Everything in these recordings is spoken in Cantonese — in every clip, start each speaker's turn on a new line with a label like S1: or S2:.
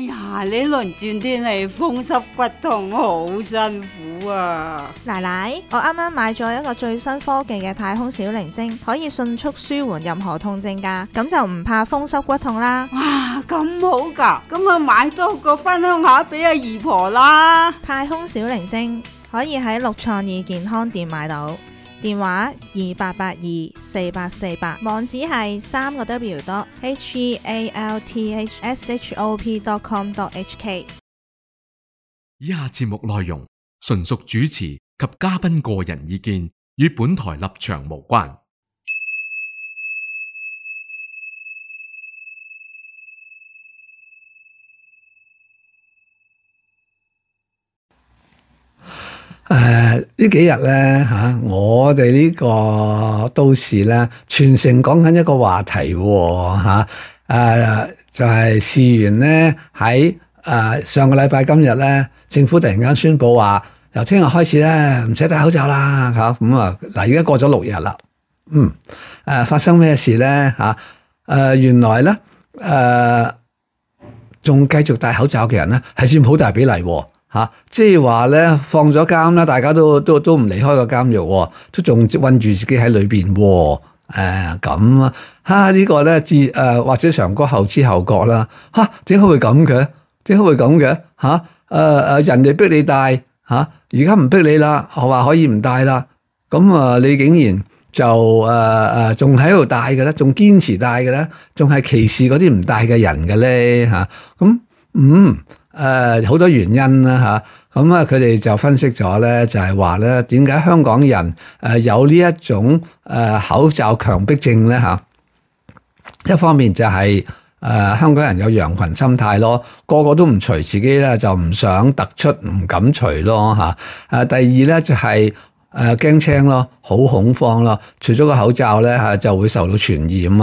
S1: 呀，呢輪轉天氣風濕骨痛好辛苦啊！
S2: 奶奶，我啱啱買咗一個最新科技嘅太空小靈精，可以迅速舒緩任何痛症㗎，咁就唔怕風濕骨痛啦。
S1: 哇，咁好㗎，咁啊買多個分享下俾阿姨婆啦。
S2: 太空小靈精可以喺六創意健康店買到，電話28824848，網址係www.healthshop.com.hk。
S3: 以下節目內容純屬主持及嘉賓個人意見，與本台立場無關。
S4: 呢幾日咧我哋呢個都市咧，全城講緊一個話題喎，就係事緣咧喺上個禮拜今日咧，政府突然間宣布話，由聽日開始咧唔使戴口罩啦嚇，咁啊嗱，而家過咗6日啦，發生咩事咧原來咧仲繼續戴口罩嘅人咧係佔好大比例喎。即係話咧，放咗監啦，大家都唔離開個監獄，都仲困住自己喺裏邊喎。咁呢個咧或者長哥後知後覺啦。點解會咁嘅？點解會咁嘅？人哋逼你戴而家唔逼你啦，我話可以唔戴啦。咁你竟然就仲喺度戴嘅咧，仲堅持戴嘅咧，仲係歧視嗰啲唔戴嘅人嘅咧好多原因啦咁佢哋就分析咗咧，就係話咧，點解香港人有呢一種口罩強迫症咧一方面就係香港人有羊群心態咯，個個都唔除，自己咧就唔想突出，唔敢除咯第二咧就係驚青咯，好恐慌咯，除咗個口罩咧就會受到傳染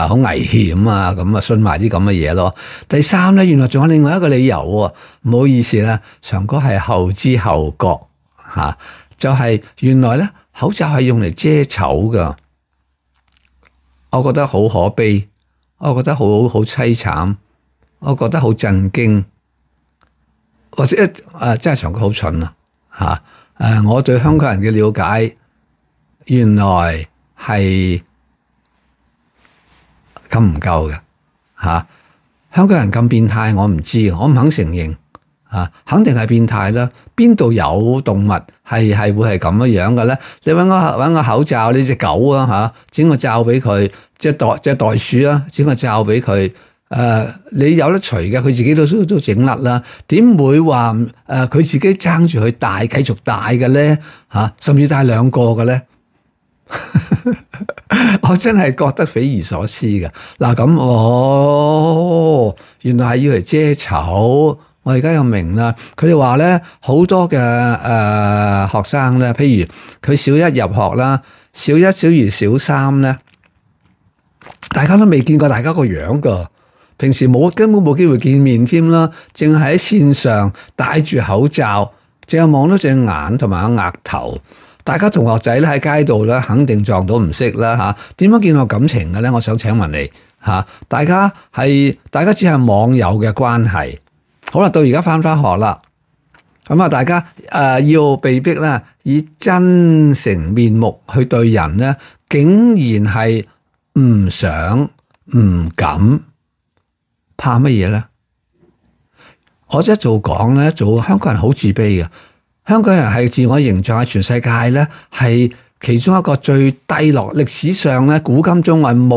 S4: 好危險咁信埋啲咁嘅嘢咯。第三咧，原來仲有另外一個理由喎，唔好意思啦，長哥係後知後覺就係原來咧口罩係用嚟遮醜噶，我覺得好可悲，我覺得好凄慘，我覺得好震驚，或者真係長哥好蠢我對香港人嘅了解，原來係咁唔夠嘅香港人咁變態，我唔知，我唔肯承認肯定係變態啦。邊度有動物係會係咁樣嘅咧？你搵個口罩，你隻狗整個罩俾佢，隻袋鼠整個罩俾佢。你有得除嘅，佢自己都整甩啦。點會話佢自己爭住去戴，繼續戴嘅咧？甚至戴2個嘅咧？我真係覺得匪夷所思嘅。嗱咁，原來係要嚟遮醜。我而家又明啦。佢哋話咧，好多嘅學生咧，譬如佢小1入學啦，小1、小2、小3咧，大家都未見過大家個樣噶。平時根本冇機會見面添啦，淨係喺線上戴住口罩，淨係望到隻眼同埋個額頭。大家同學仔咧喺街度咧，肯定撞到唔識啦點樣見我感情嘅咧？我想請問你大家只係網友嘅關係。好啦，到而家返學啦，咁大家要被逼咧以真誠面目去對人咧，竟然係唔想唔敢。怕乜嘢咧？我一做講咧，做香港人好自卑嘅。香港人係自我形象喺全世界咧，係其中一個最低落。歷史上咧，古今中外冇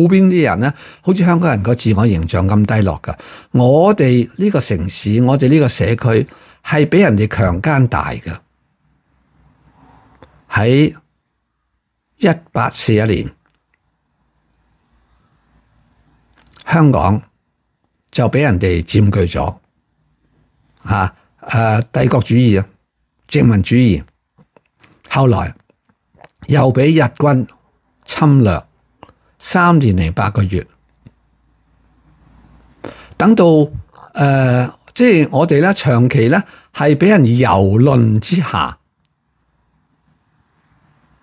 S4: 邊啲人咧，好似香港人個自我形象咁低落噶。我哋呢個城市，我哋呢個社區係俾人哋強姦大嘅。喺1841年，香港就俾人哋佔據咗，帝國主義殖民主義，後來又俾日軍侵略3年零8個月，等到即係我哋咧長期咧係俾人蹂躪之下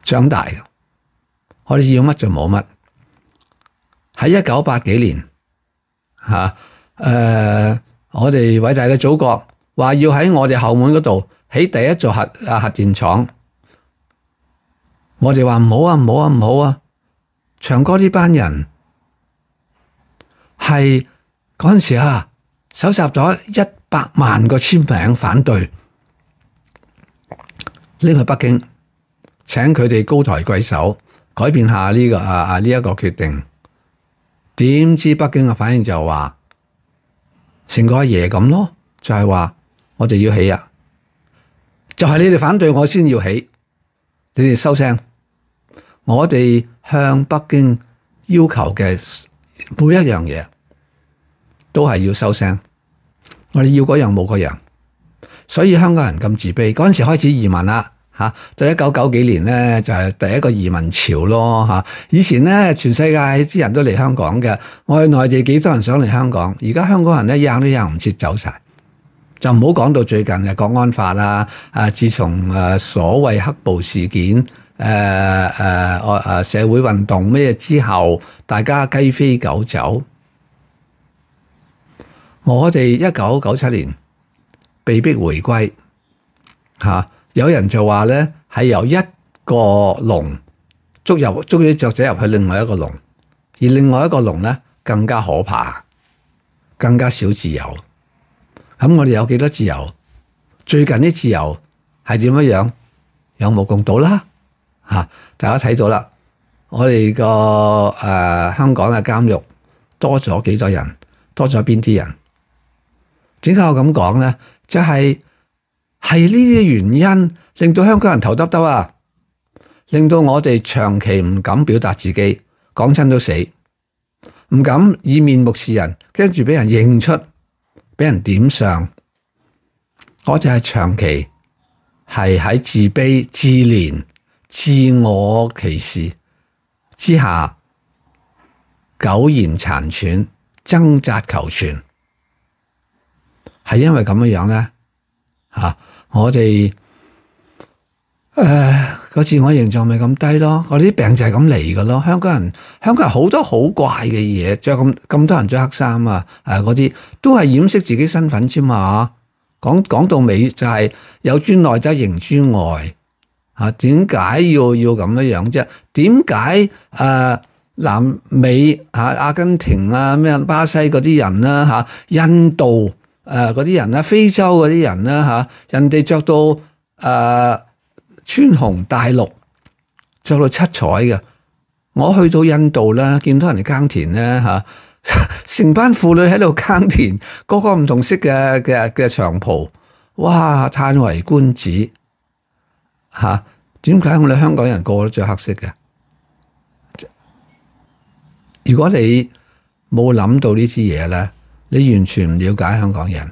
S4: 長大嘅，我哋要乜就冇乜。喺1980幾年我哋偉大嘅祖國話要喺我哋後門嗰度起第一座核電廠，我哋話唔好啊，唔好啊，唔好啊！長哥呢班人係嗰陣時啊，搜集咗100萬個簽名反對，拎去北京，請佢哋高抬貴手，改變下呢一個決定。點知北京嘅反應就話，成個阿爺咁咯，就係話我哋要起啊，就係你哋反對我先要起，你哋收聲。我哋向北京要求嘅每一樣嘢都係要收聲，我哋要嗰樣冇嗰樣，所以香港人咁自卑。嗰陣時開始移民啦，就1990幾年咧就係第一個移民潮咯。以前咧全世界啲人都嚟香港嘅，我哋內地幾多人想嚟香港，而家香港人咧扔都扔唔切走晒，就唔好講到最近嘅國安法啦。自從所謂黑暴事件。社會運動咩之後，大家雞飛狗走。我哋1997年被逼回歸，有人就話咧係由一個籠捉啲雀仔入去另外一個籠，而另外一個籠咧更加可怕，更加少自由。咁我哋有幾多自由？最近啲自由係點樣？有目共睹啦。大家睇到啦，我哋個香港嘅監獄多咗幾多人？多咗邊啲人？點解我咁講咧？就係呢啲原因令到香港人頭耷耷啊，令到我哋長期唔敢表達自己，講親都死，唔敢以面目示人，驚住俾人認出，俾人點上。我哋係長期係喺自卑、自憐、自我歧視之下苟延殘喘，掙扎求存，係因為咁樣咧我哋個自我形象咪咁低咯，我哋啲病就係咁嚟嘅咯。香港人好多好怪嘅嘢，着咁多人着黑衫嗰啲都係掩飾自己身份啫嘛。講到尾就係有尊內則形尊外。點解要咁樣啫？點解南美阿根廷咩巴西嗰啲人啦印度嗰啲人啦，非洲嗰啲人啦人哋着到穿紅戴綠，着到七彩嘅。我去到印度咧，見到人哋耕田咧成班婦女喺度耕田，個個唔同色嘅長袍，哇！嘆為觀止。點解我哋香港人個個都着黑色嘅？如果你冇諗到呢啲嘢咧，你完全唔了解香港人。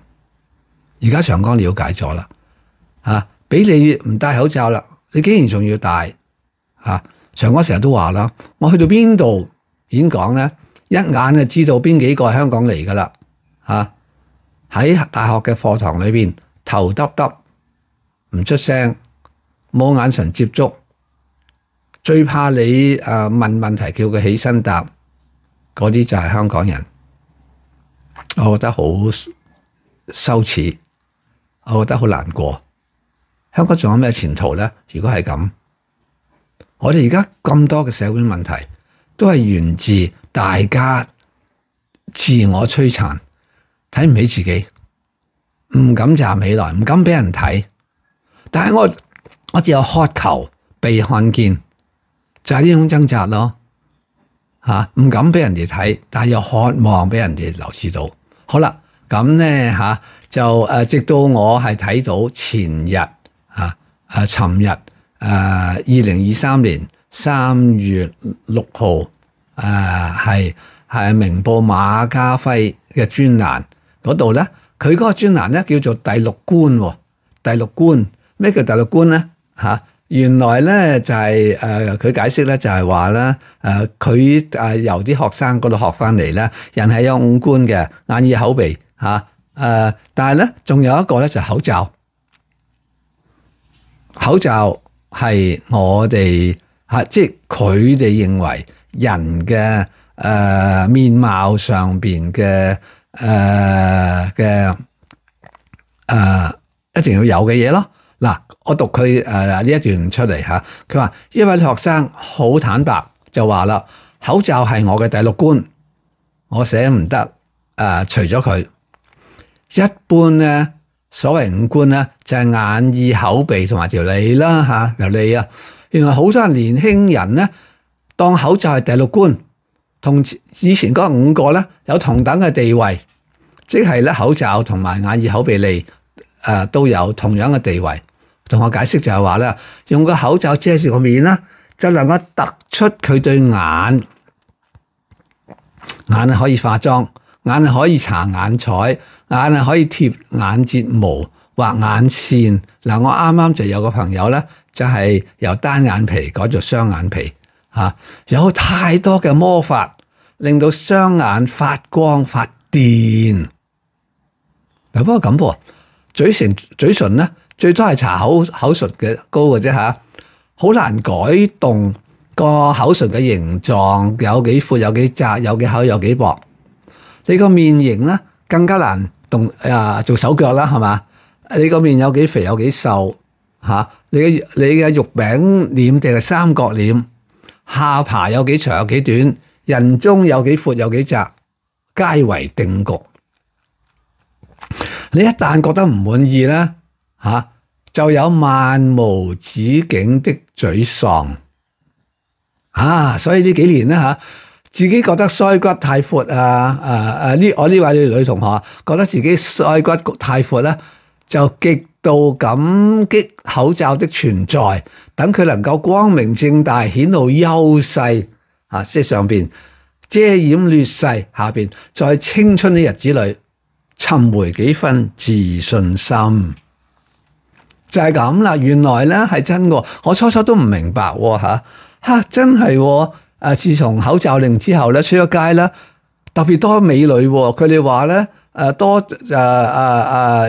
S4: 而家長江了解咗啦，俾你唔戴口罩啦，你竟然仲要戴。長江成日都話啦，我去到邊度演講咧，一眼就知道邊幾個係香港嚟噶啦。喺大學嘅課堂裏邊，頭耷耷，唔出聲。冇眼神接觸，最怕你問問題叫佢起身答，嗰啲就係香港人。我覺得好羞恥，我覺得好難過。香港仲有咩前途咧？如果係咁，我哋而家咁多嘅社會問題，都係源自大家自我摧殘，睇唔起自己，唔敢站起來，唔敢俾人睇。但係我只有渴求被看見，就係呢種掙扎咯。唔敢俾人哋睇，但係又渴望俾人哋留意到。好啦，咁咧就直到我係睇到前日尋日2023年3月6號係明報馬家輝嘅專欄嗰度咧，佢嗰個專欄咧叫做第六觀。第六觀咩叫第六觀咧？原來咧就係佢解釋咧就係話咧佢由啲學生嗰度學翻嚟咧，人係有五官嘅，眼耳口鼻但係咧仲有一個咧就係口罩。口罩係我哋即係佢哋認為人嘅面貌上邊嘅一定要有嘅嘢咯。嗱，我讀佢呢一段出嚟嚇，佢話一位學生好坦白就話啦，口罩係我嘅第六官，我捨唔得除咗佢。一般咧，所謂五官咧就係眼耳口鼻同埋條脷啦嚇，條脷啊。原來好多人年輕人咧當口罩係第六官，同以前嗰五個咧有同等嘅地位，即係咧口罩同埋眼耳口鼻脷都有同樣嘅地位。同我解釋就係話咧，用個口罩遮住個面啦，就能夠突出佢對眼係可以化妝，眼係可以搽眼彩，眼係可以貼眼睫毛、畫眼線。嗱，我啱啱就有個朋友咧，就係由單眼皮改做雙眼皮嚇，有太多嘅魔法令到雙眼發光發電。嗱，不過咁噃，嘴唇咧最多係搽口唇嘅膏嘅啫嚇，好難改動個口唇嘅形狀，有幾闊有幾窄，有幾厚有幾薄。你個面型咧更加難做手腳啦，係嘛？你個面有幾肥有幾瘦嚇？你嘅肉餅臉定係三角臉？下巴有幾長有幾短？人中有幾闊有幾窄？皆為定局。你一旦覺得唔滿意咧就有漫無止境的沮喪所以呢幾年咧自己覺得腮骨太闊我呢位女同學覺得自己腮骨太闊咧，就極度感激口罩的存在，等佢能夠光明正大顯露優勢即係上邊遮掩劣勢，下邊在青春的日子裏尋回幾分自信心。就係咁啦，原來咧係真嘅，我初初都唔明白真係自從口罩令之後咧，出咗街咧特別多美女，佢哋話咧多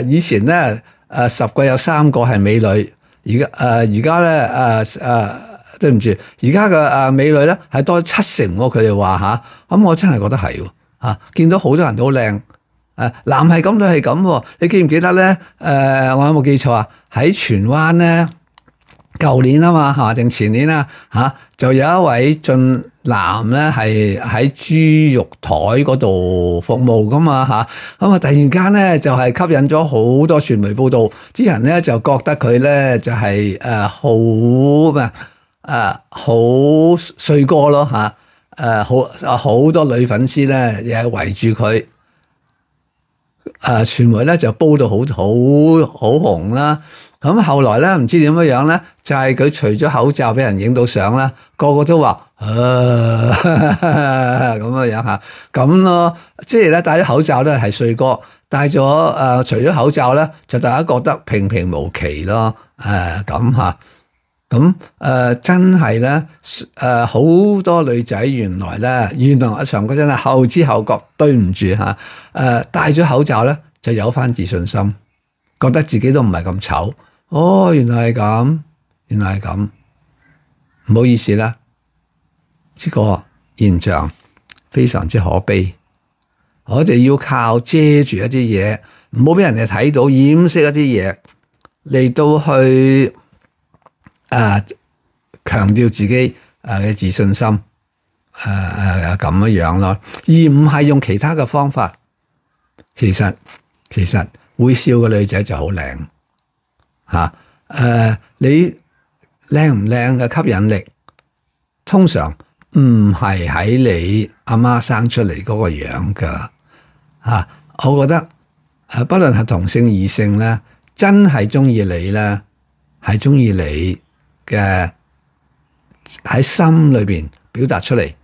S4: 以前咧10個有3個係美女，而家咧對唔住，而家嘅美女咧係多70%，佢哋話咁我真係覺得係見到好多人都好靚。男係咁，女係咁。你記唔記得咧？我有冇記錯啊？喺荃灣咧，舊年啊嘛定前年就有一位俊男咧係喺豬肉台嗰度服務噶嘛咁突然間咧就係吸引咗好多傳媒報道，啲人咧就覺得佢咧就係好帥哥咯好多女粉絲咧亦係圍住佢。傳媒咧就煲到好紅啦，咁後來咧唔知點樣咧，就係佢除咗口罩俾人影到相啦，個個都話咁樣咁咯，即係咧戴咗口罩咧係帥哥，戴咗除咗口罩咧就大家覺得平平無奇咯，咁真係咧好多女仔原來阿長哥真係後知後覺，對唔住戴咗口罩咧就有翻自信心，覺得自己都唔係咁醜。原來係咁，唔好意思啦，呢個現象非常之可悲。我哋要靠遮住一啲嘢，唔好俾人哋睇到，掩飾一啲嘢嚟到去強調自己嘅自信心咁樣咯，而唔係用其他嘅方法。其實會笑嘅女仔就好靚你靚唔靚嘅吸引力，通常唔係喺你阿媽生出嚟嗰個樣噶我覺得不論係同性異性咧，真係中意你咧，係中意你嘅喺心裏邊表達出嚟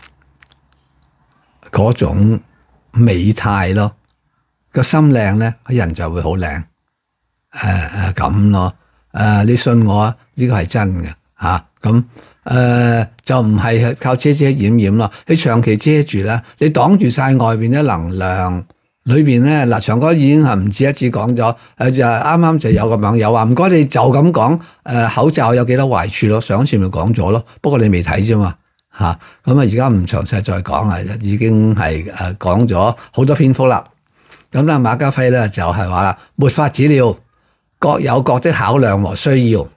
S4: 嗰種美態咯，個心靚咧，人就會好靚咁咯。你信我呢個係真嘅咁就唔係靠遮遮掩掩咯。你長期遮住啦，你擋住晒外邊嘅能量，裏邊咧長哥已經係唔止一次講咗，就啱啱就有個網友話唔該你就咁講口罩有幾多壞處咯，上次咪講咗咯，不過你未睇啫嘛咁而家唔詳細再講啦，已經係講咗好多篇幅啦。咁咧馬家輝咧就係話啦，沒法子了，各有各的考量和需要，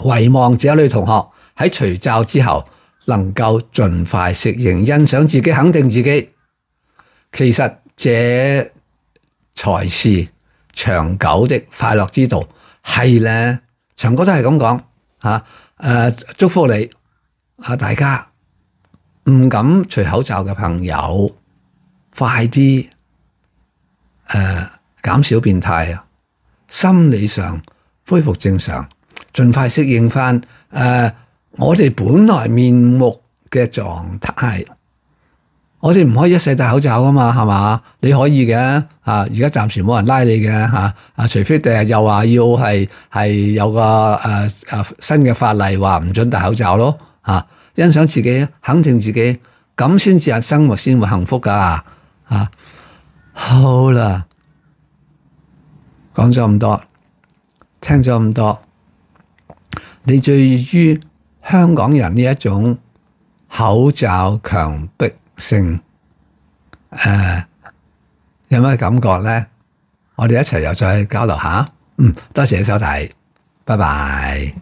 S4: 唯望這女同學喺除罩之後能夠盡快適應，欣賞自己，肯定自己。其實這才是長久的快樂之道。係咧，長哥都係咁講嚇。祝福你啊！大家唔敢除口罩嘅朋友，快啲減少變態啊！心理上恢復正常，盡快適應翻我哋本來面目嘅狀態。我哋唔可以一世戴口罩噶嘛，係嘛？你可以嘅而家暫時冇人拉你嘅除非第日又話要係有個新嘅法例話唔准戴口罩咯欣賞自己，肯定自己，咁先至係生活先會幸福噶好啦，講咗咁多，聽咗咁多，你對於香港人呢一種口罩強迫性有咩感覺咧？我哋一齊又再交流下。多謝你收睇，拜拜。